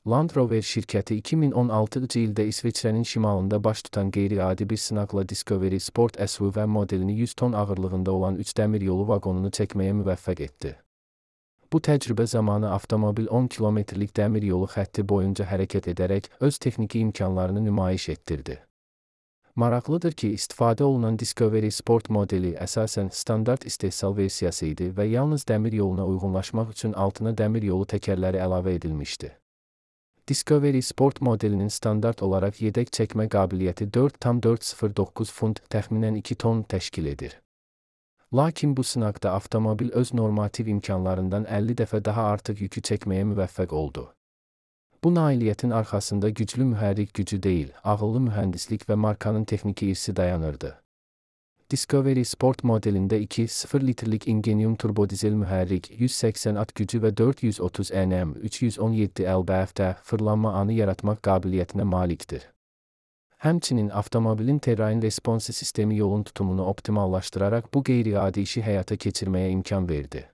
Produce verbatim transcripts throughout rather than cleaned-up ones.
Land Rover şirkəti iki min on altıncı ildə İsveçrənin şimalında baş tutan qeyri-adi bir sınaqla Discovery Sport S U V modelini yüz ton ağırlığında olan üç dəmiryolu vaqonunu çəkməyə müvəffəq etdi. Bu təcrübə zamanı avtomobil on kilometrlik dəmiryolu xətti boyunca hərəkət edərək öz texniki imkanlarını nümayiş etdirdi. Maraqlıdır ki, istifadə olunan Discovery Sport modeli əsasən standart istehsal versiyası idi və yalnız dəmir yoluna uyğunlaşmaq üçün altına dəmir yolu təkərləri əlavə edilmişdi. Discovery Sport modelinin standart olaraq yedək çəkmə qabiliyyəti dörd tam dörd sıfır doqquz funt, təxminən iki ton təşkil edir. Lakin bu sınaqda avtomobil öz normativ imkanlarından əlli dəfə daha artıq yükü çəkməyə müvəffəq oldu. Bu nailiyyətin arxasında güclü mühərrik gücü deyil, ağıllı mühəndislik və markanın texniki irsi dayanırdı. Discovery Sport modelində iki nöqtə sıfır litrlik Ingenium turbodizel mühərrik, yüz səksən at gücü və dörd yüz otuz Nm üç yüz on yeddi lb-də fırlanma anı yaratmaq qabiliyyətinə malikdir. Həmçinin avtomobilin terrain responsi sistemi yolun tutumunu optimallaşdıraraq bu qeyri-adi işi həyata keçirməyə imkan verdi.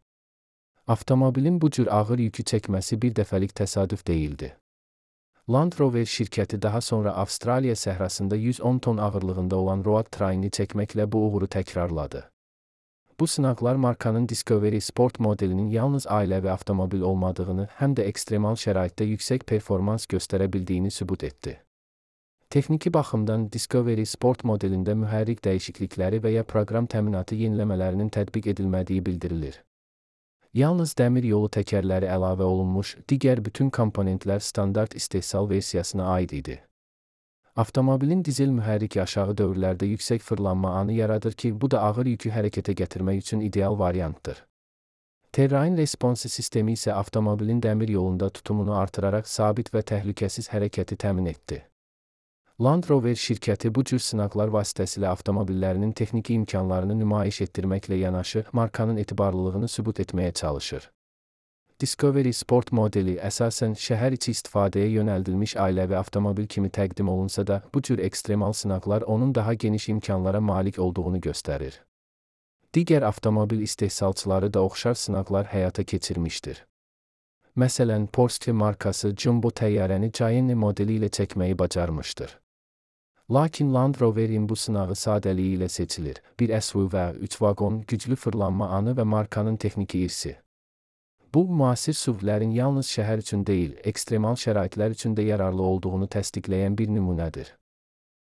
Avtomobilin bu cür ağır yükü çəkməsi bir dəfəlik təsadüf deyildi. Land Rover şirkəti daha sonra Avstraliya səhrasında yüz on ton ağırlığında olan Road Train'i çəkməklə bu uğuru təkrarladı. Bu sınaqlar markanın Discovery Sport modelinin yalnız ailəvi avtomobil olmadığını, həm də ekstremal şəraitdə yüksək performans göstərə bildiyini sübut etdi. Texniki baxımdan Discovery Sport modelində mühərrik dəyişiklikləri və ya proqram təminatı yeniləmələrinin tətbiq edilmədiyi bildirilir. Yalnız dəmir yolu təkərləri əlavə olunmuş, digər bütün komponentlər standart istehsal versiyasına aid idi. Avtomobilin dizel mühərriki aşağı dövrlərdə yüksək fırlanma anı yaradır ki, bu da ağır yükü hərəkətə gətirmək üçün ideal variantdır. Terrain responsi sistemi isə avtomobilin dəmir yolunda tutumunu artıraraq sabit və təhlükəsiz hərəkəti təmin etdi. Land Rover şirkəti bu cür sınaqlar vasitəsilə avtomobillərinin texniki imkanlarını nümayiş etdirməklə yanaşı, markanın etibarlılığını sübut etməyə çalışır. Discovery Sport modeli əsasən şəhər içi istifadəyə yönəldilmiş ailəvi avtomobil kimi təqdim olunsa da, bu cür ekstremal sınaqlar onun daha geniş imkanlara malik olduğunu göstərir. Digər avtomobil istehsalçıları da oxşar sınaqlar həyata keçirmişdir. Məsələn, Porsche markası Jumbo təyyarəni Cayenne modeli ilə çəkməyi bacarmışdır. Lakin Land Rover'in bu sınağı sadəliyi ilə seçilir. Bir S U V, üç vaqon, güclü fırlanma anı və markanın texniki irsi. Bu, müasir S U V-lərin yalnız şəhər üçün deyil, ekstremal şəraitlər üçün də yararlı olduğunu təsdiqləyən bir nümunədir.